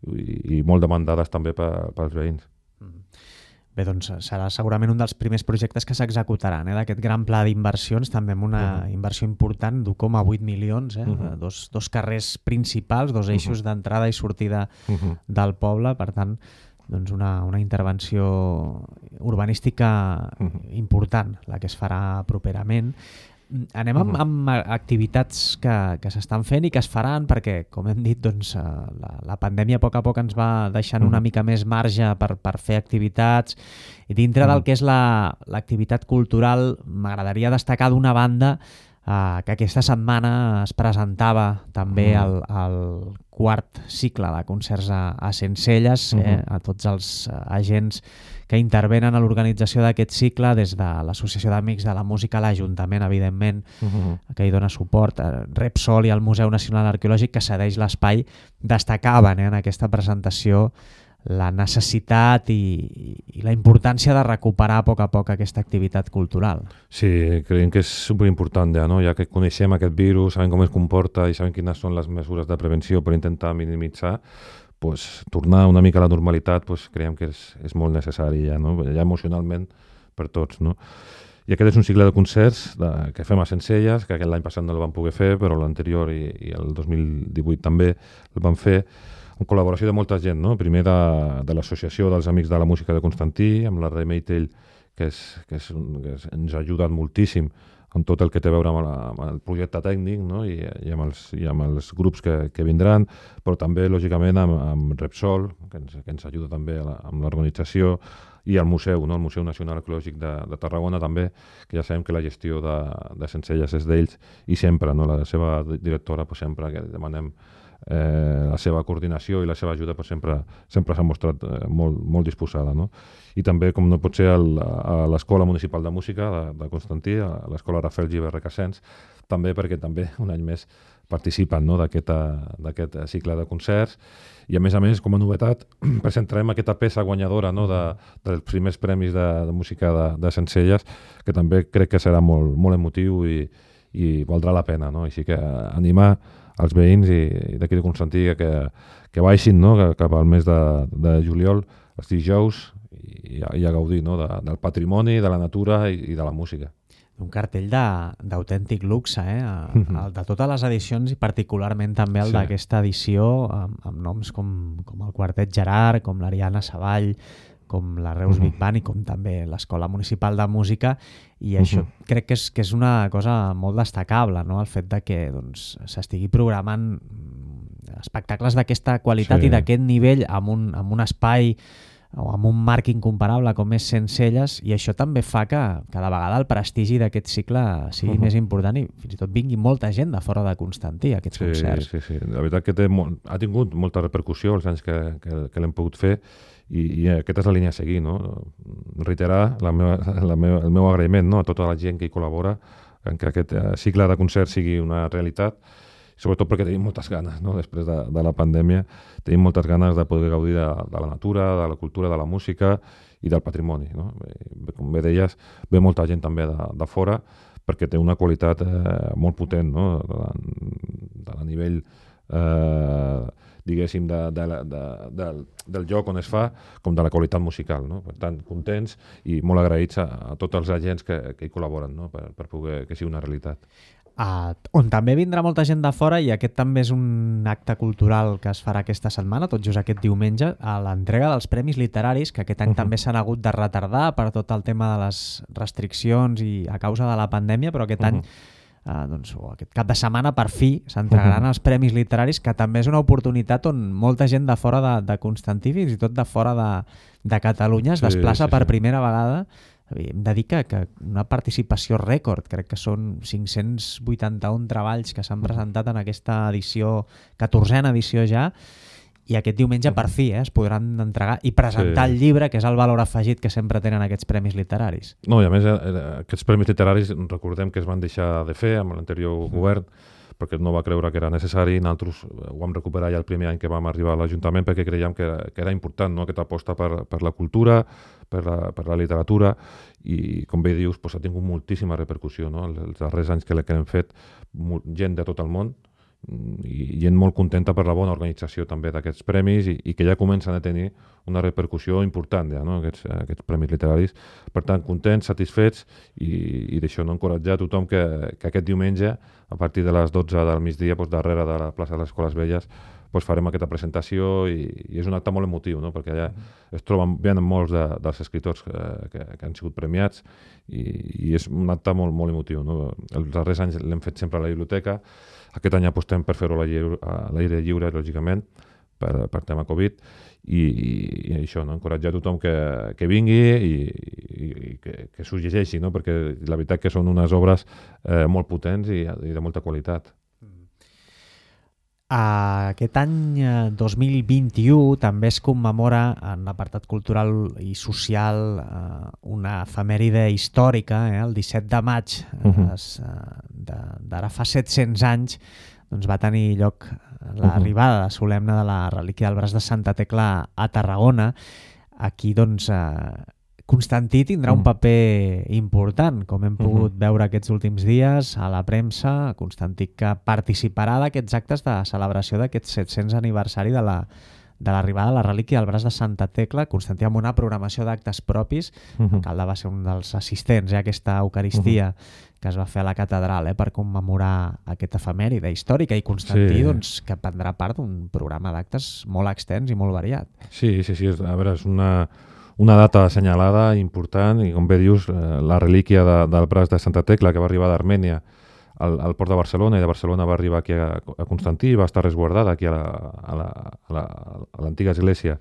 I molt demandades també pels veïns. Bé, doncs serà segurament un dels primers projectes que s'executaran, d'aquest gran pla d'inversions, també amb una inversió important d'1,8 milions, dos carrers principals, dos eixos d'entrada i sortida del poble, per tant, doncs una intervenció urbanística important, la que es farà properament. Anem amb activitats que s'estan fent i que es faran, perquè, com hem dit, doncs, la pandèmia a poc ens va deixant una mica més marge per fer activitats, i dintre del que és l'activitat cultural m'agradaria destacar d'una banda que aquesta setmana es presentava també el quart cicle de concerts a Sencelles, a tots els agents que intervenen a l'organització d'aquest cicle, des de l'Associació d'Amics de la Música, l'Ajuntament, evidentment, que hi dona suport, Repsol i el Museu Nacional Arqueològic, que cedeix l'espai, destacaven en aquesta presentació la necessitat i la importància de recuperar a poc aquesta activitat cultural. Sí, creiem que és superimportant ja que coneixem aquest virus, sabem com es comporta i sabem quines són les mesures de prevenció per intentar minimitzar, tornar una mica a la normalitat creiem que és molt necessari ja emocionalment per tots. I aquest és un cicle de concerts que fem a Sencelles, que l'any passat no el vam poder fer, però l'anterior i el 2018 també el vam fer, en col·laboració de molta gent, primer de l'Associació dels Amics de la Música de Constantí, amb la Remei Tell, que ens ha ajudat moltíssim amb tot el que té a veure amb el projecte tècnic i amb els grups que vindran, però també, lògicament, amb Repsol, que ens ajuda també amb l'organització, i el museu, el Museu Nacional Arqueològic de Tarragona també, que ja sabem que la gestió de Sencelles és d'ells, i sempre, la seva directora, sempre que demanem la seva coordinació i la seva ajuda sempre s'ha mostrat molt disposada, no? I també, com no pot ser, a l'Escola Municipal de Música de Constantí, a l'Escola Rafael Gibert Recasens, també perquè també un any més participen, no?, d'aquest cicle de concerts. I a més, com a novetat, presentarem aquesta peça guanyadora, no?, dels primers premis de música de Sencelles, que també crec que serà molt emotiu i valdrà la pena, no? Així que animar els veïns i d'aquí de Constantí que baixin, no?, cap al mes de juliol, els dijous, i a gaudir, no?, del patrimoni, de la natura i de la música. Un cartell d'autèntic luxe, el de totes les edicions i particularment també el d'aquesta edició amb noms com el Quartet Gerard, com l'Ariana Savall, com la Reus Big Band i com també l'Escola Municipal de Música, i això crec que és una cosa molt destacable, no?, el fet de que s'estigui programant espectacles d'aquesta qualitat i d'aquest nivell amb un espai o amb un marc incomparable com és Sencelles, i això també fa que cada vegada el prestigi d'aquest cicle sigui més important i fins i tot vingui molta gent de fora de Constantí a aquests concerts. Sí. La veritat que ha tingut molta repercussió els anys que l'hem pogut fer i aquesta és la línia a seguir, no? Reiterar el meu agraïment, no?, a tota la gent que hi col·labora en que aquest cicle de concerts sigui una realitat, sobretot perquè tenim moltes ganes, no?, després de la pandèmia, tenim moltes ganes de poder gaudir de la natura, de la cultura, de la música i del patrimoni, no? Com bé deies, ve molta gent també de fora perquè té una qualitat molt potent, no?, a nivell, diguéssim, del lloc on es fa, com de la qualitat musical, no? Per tant, contents i molt agraïts a tots els agents que hi col·laboren, no?, per poder que sigui una realitat. On també vindrà molta gent de fora, i aquest també és un acte cultural que es farà aquesta setmana, tot just aquest diumenge, a l'entrega dels Premis Literaris, que aquest any també s'han hagut de retardar per tot el tema de les restriccions i a causa de la pandèmia, però aquest any, aquest cap de setmana, per fi, s'entregaran els Premis Literaris, que també és una oportunitat on molta gent de fora de Constantí, fins i tot de fora de Catalunya, es desplaça per primera vegada. Hem de dir que una participació rècord, crec que són 581 treballs que s'han presentat en aquesta edició, 14a edició ja, i aquest diumenge per fi es podran entregar i presentar el llibre, que és el valor afegit que sempre tenen aquests premis literaris. No, i a més aquests premis literaris recordem que es van deixar de fer amb l'anterior govern, perquè no va creure que era necessari. Nosaltres ho vam recuperar ja el primer any que vam arribar a l'Ajuntament perquè creiem que era important, no?, aquesta aposta per la cultura, per la literatura, i com bé dius, ha tingut moltíssima repercussió, no?, els darrers anys que l'hem fet, gent de tot el món i gent molt contenta per la bona organització també d'aquests premis i que ja comencen a tenir una repercussió important ja, no?, aquests premis literaris. Per tant, contents, satisfets i d'això, no?, encoratjar a tothom que aquest diumenge, a partir de les 12 del migdia, darrere de la plaça de les Escoles Velles, farem aquesta presentació i és un acte molt emotiu, no?, perquè allà es troben molts dels escriptors que han sigut premiats i és un acte molt emotiu, no? Els darrers anys l'hem fet sempre a la biblioteca. Aquest any apostem per fer-ho a l'aire lliure, lògicament, per tema Covid, i això, no?, encoratjar a tothom que vingui i que s'ho llegeixi, no?, perquè la veritat que són unes obres molt potents i de molta qualitat. Aquest any 2021 també es commemora en l'apartat cultural i social una efemèride històrica, el 17 de maig d'ara fa 700 anys va tenir lloc l'arribada solemne de la relíquia del braç de Santa Tecla a Tarragona. Aquí Constantí tindrà un paper important, com hem pogut veure aquests últims dies a la premsa. Constantí que participarà d'aquests actes de celebració d'aquest 700 aniversari de l'arribada de la relíquia del braç de Santa Tecla. Constantí amb una programació d'actes propis. L'alcalde va ser un dels assistents a aquesta Eucaristia que es va fer a la catedral per commemorar aquesta efemèride històrica, i Constantí que prendrà part d'un programa d'actes molt extens i molt variat. Sí, a veure, és una data assenyalada, important, i com bé dius, la relíquia del braç de Santa Tecla, que va arribar d'Armènia al port de Barcelona, i de Barcelona va arribar aquí a Constantí, va estar resguardada aquí a l'antiga església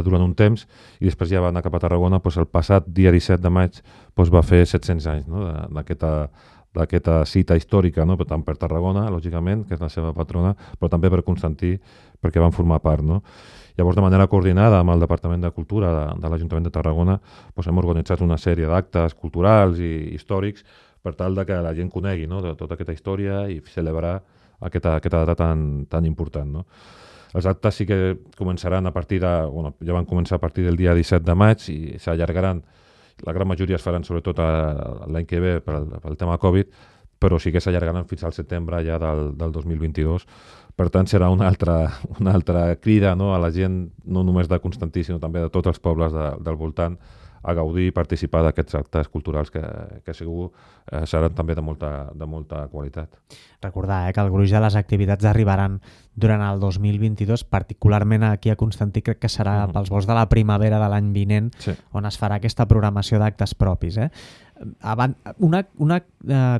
durant un temps, i després ja va anar cap a Tarragona. El passat dia 17 de maig va fer 700 anys, no?, d'aquesta cita històrica, no? Tant per Tarragona, lògicament, que és la seva patrona, però també per Constantí, perquè van formar part, no? Llavors, de manera coordinada amb el Departament de Cultura de l'Ajuntament de Tarragona, doncs hem organitzat una sèrie d'actes culturals i històrics per tal de que la gent conegui, no? De tota aquesta història i celebrar aquesta data tan important, no? Els actes sí que començaran a partir de... Bueno, ja van començar a partir del dia 17 de maig i s'allargaran. La gran majoria es faran sobretot l'any que ve pel tema Covid, però sí que s'allargaran fins al setembre ja del 2022. Per tant, serà una altra crida, no? A la gent, no només de Constantí, sinó també de tots els pobles del voltant, a gaudir i participar d'aquests actes culturals que segur seran també de molta qualitat. Recordar que el gruix de les activitats arribaran durant el 2022, particularment aquí a Constantí crec que serà pels vols de la primavera de l'any vinent, sí, on es farà aquesta programació d'actes propis. Una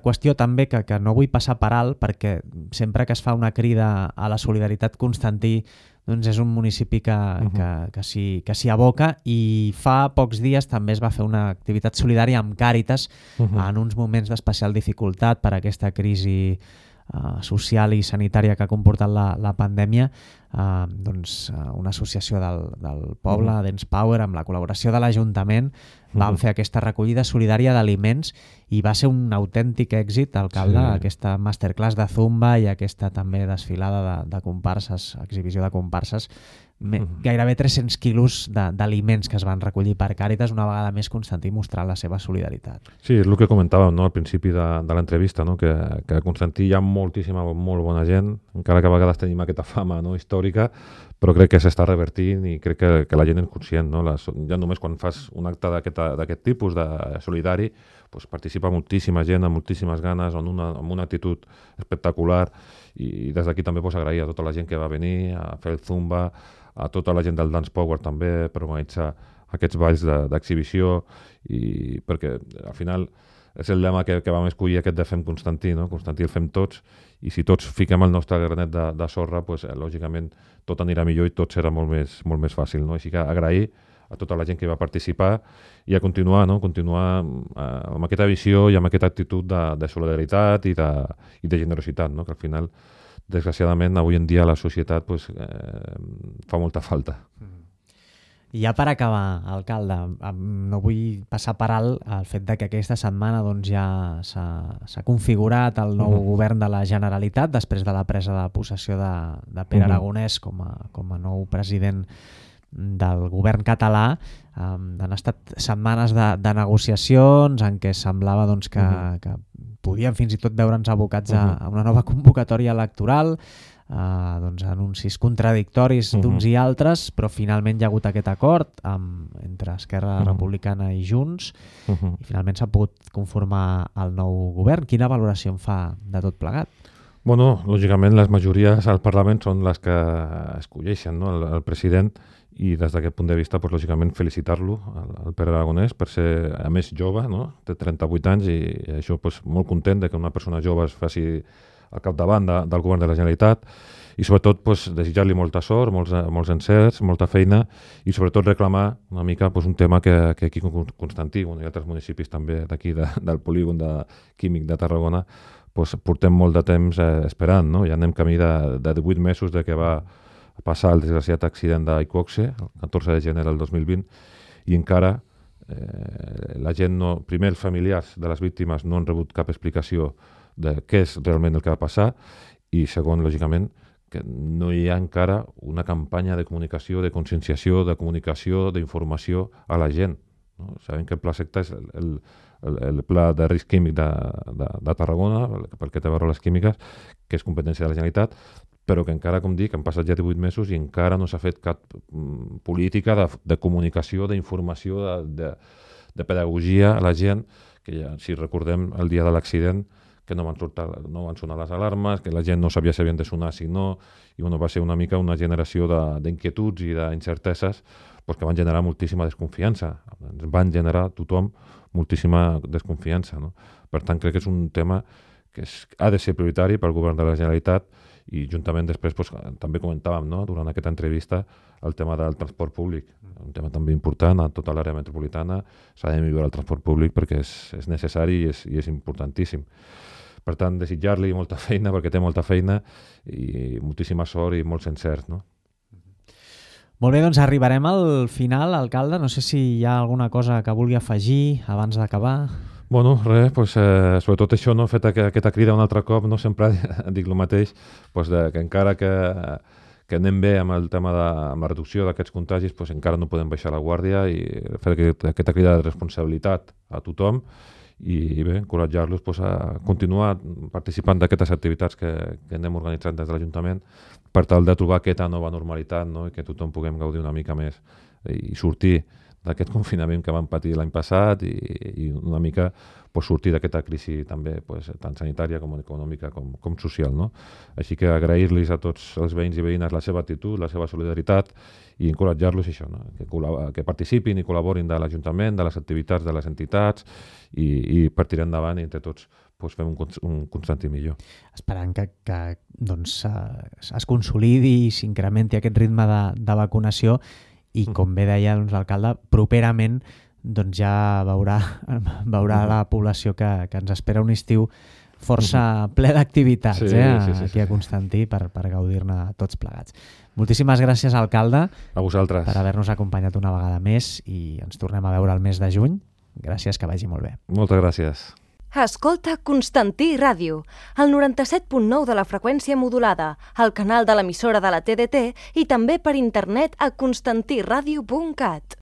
qüestió també que no vull passar per alt, perquè sempre que es fa una crida a la solidaritat Constantí doncs és un municipi que s'hi aboca, i fa pocs dies també es va fer una activitat solidària amb Càritas en uns moments d'especial dificultat per aquesta crisi social i sanitària que ha comportat la pandèmia. Doncs una associació del poble, Dance Power, amb la col·laboració de l'Ajuntament, van fer aquesta recollida solidària d'aliments i va ser un autèntic èxit, alcalde, sí, aquesta masterclass de Zumba i aquesta també desfilada de comparses, exhibició de comparses. Gairebé 300 quilos d'aliments que es van recollir per Càritas, una vegada més Constantí mostrant la seva solidaritat. Sí, és el que comentàvem, no? Al principi de l'entrevista, no? Que a Constantí hi ha molt bona gent, encara que a vegades tenim aquesta fama, no? Històrica, però crec que s'està revertint i crec que la gent és conscient, no? Ja només quan fas un acte d'aquest tipus, de solidari, doncs participa moltíssima gent, amb moltíssimes ganes, amb una actitud espectacular, i des d'aquí també agrair a tota la gent que va venir a fer el Zumba, a tota la gent del Dance Power també per organitzar aquests balls d'exhibició, i perquè al final és el lema que vam escollir, aquest de Fem Constantí, no? Constantí el fem tots, i si tots fiquem el nostre granet de sorra, doncs, lògicament tot anirà millor i tot serà molt més fàcil, no? Així que agrair a tota la gent que va participar i a continuar amb aquesta visió i amb aquesta actitud de solidaritat i de generositat, no? Que al final, desgraciadament, avui en dia la societat fa molta falta. I ja per acabar, alcalde, no vull passar per alt el fet de que aquesta setmana doncs, ja s'ha configurat el nou govern de la Generalitat després de la presa de possessió de Pere Aragonès com a nou president del govern català. Han estat setmanes de negociacions en què semblava doncs, que podien fins i tot veure'ns abocats a una nova convocatòria electoral, doncs, anuncis contradictoris d'uns i altres, però finalment hi ha hagut aquest acord entre Esquerra Republicana i Junts, i finalment s'ha pogut conformar el nou govern. Quina valoració en fa de tot plegat? Bueno, lògicament les majories al Parlament són les que escolleixen, no? El president, i des d'aquest punt de vista, lògicament felicitar-lo, el Pere Aragonès, per ser, a més, jove, no? Té 38 anys, i això molt content de que una persona jove es faci al capdavant del govern de la Generalitat, i sobretot desitjar-li molta sort, molts encerts, molta feina, i sobretot reclamar una mica un tema que aquí a Constantí i altres municipis també d'aquí del polígon químic de Tarragona portem molt de temps esperant, no? Ja anem camí de 18 mesos de que va passar el desgraciat accident d'Iqoxe, el 14 de gener del 2020, i encara la gent primer els familiars de les víctimes no han rebut cap explicació de què és realment el que va passar, i segon, lògicament, que no hi ha encara una campanya de comunicació, de conscienciació, de comunicació, d'informació a la gent. No? Sabem que el Pla Secta és el Pla de Risc Químic de Tarragona, pel que té a veure les químiques, que és competència de la Generalitat, però que encara, com dic, han passat ja 18 mesos i encara no s'ha fet cap política de comunicació, d'informació, de pedagogia a la gent, que ja, si recordem el dia de l'accident, que no van sonar les alarmes, que la gent no sabia si havien de sonar, si no, i va ser una mica una generació d'inquietuds i d'incerteses que van generar moltíssima desconfiança. Ens van generar tothom moltíssima desconfiança. No? Per tant, crec que és un tema que ha de ser prioritari pel govern de la Generalitat I juntament després també comentàvem, no?, durant aquesta entrevista el tema del transport públic, un tema també important a tota l'àrea metropolitana. S'ha de millorar el transport públic perquè és necessari i és importantíssim. Per tant, desitjar-li molta feina, perquè té molta feina, i moltíssima sort i molts encerts, no? Molt bé, doncs arribarem al final, alcalde. No sé si hi ha alguna cosa que vulgui afegir abans d'acabar. Bueno, res, sobretot això, no, fet aquesta crida un altre cop, no, sempre dic el mateix, que encara que anem bé amb el tema amb la reducció d'aquests contagis, encara no podem baixar la guàrdia i fer aquesta crida de responsabilitat a tothom i bé, encoratjar-los a continuar participant d'aquestes activitats que anem organitzant des de l'Ajuntament per tal de trobar aquesta nova normalitat, no?, i que tothom puguem gaudir una mica més i sortir d'aquest confinament que vam patir l'any passat i una mica sortir d'aquesta crisi també tant sanitària com econòmica com social, no? Així que agrair-los a tots els veïns i veïnes la seva actitud, la seva solidaritat i encoratjar-los això, no?, que participin i col·laborin de l'Ajuntament, de les activitats de les entitats i per tirar endavant i entre tots fem un Constantí millor. Esperant que es consolidi i s'incrementi aquest ritme de vacunació i, com bé deia l'alcalde, properament ja veurà la població que ens espera un estiu força ple d'activitats aquí a Constantí per gaudir-ne tots plegats. Moltíssimes gràcies, alcalde, a vosaltres per haver-nos acompanyat una vegada més i ens tornem a veure el mes de juny. Gràcies, que vagi molt bé. Moltes gràcies. Escolta Constantí Ràdio, el 97.9 de la freqüència modulada, el canal de l'emissora de la TDT i també per internet a constantiradio.cat.